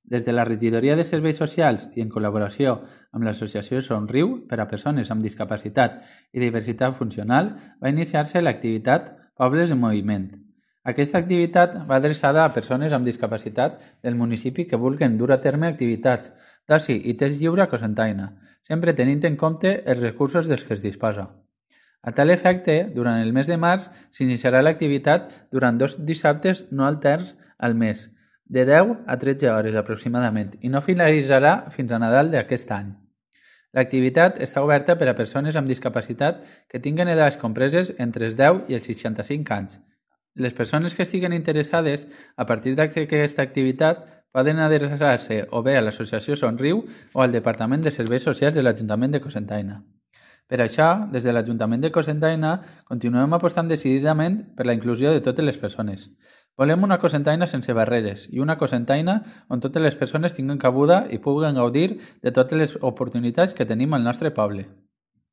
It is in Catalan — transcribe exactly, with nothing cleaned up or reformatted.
Des de la Regidoria de Serveis Socials i en col·laboració amb l'Associació Somriu per a Persones amb Discapacitat i Diversitat Funcional va iniciar-se l'activitat Pobles en Moviment. Aquesta activitat va adreçada a persones amb discapacitat del municipi que vulguin dur a terme activitats d'oci i temps lliure a Cocentaina, sempre tenint en compte els recursos dels que es disposa. A tal efecte, durant el mes de març s'iniciarà l'activitat durant dos dissabtes no alterns al mes, de deu a tretze hores aproximadament, i no finalitzarà fins a Nadal d'aquest any. L'activitat està oberta per a persones amb discapacitat que tinguen edats compreses entre els deu i els seixanta-cinc anys. Les persones que estiguen interessades a partir d'aquesta activitat poden adreçar-se o bé a l'Associació Somriu o al Departament de Serveis Socials de l'Ajuntament de Cocentaina. Per això, des de l'Ajuntament de Cocentaina, continuem apostant decididament per la inclusió de totes les persones. Volem una Cocentaina sense barreres i una Cocentaina on totes les persones tinguin cabuda i puguen gaudir de totes les oportunitats que tenim al nostre poble.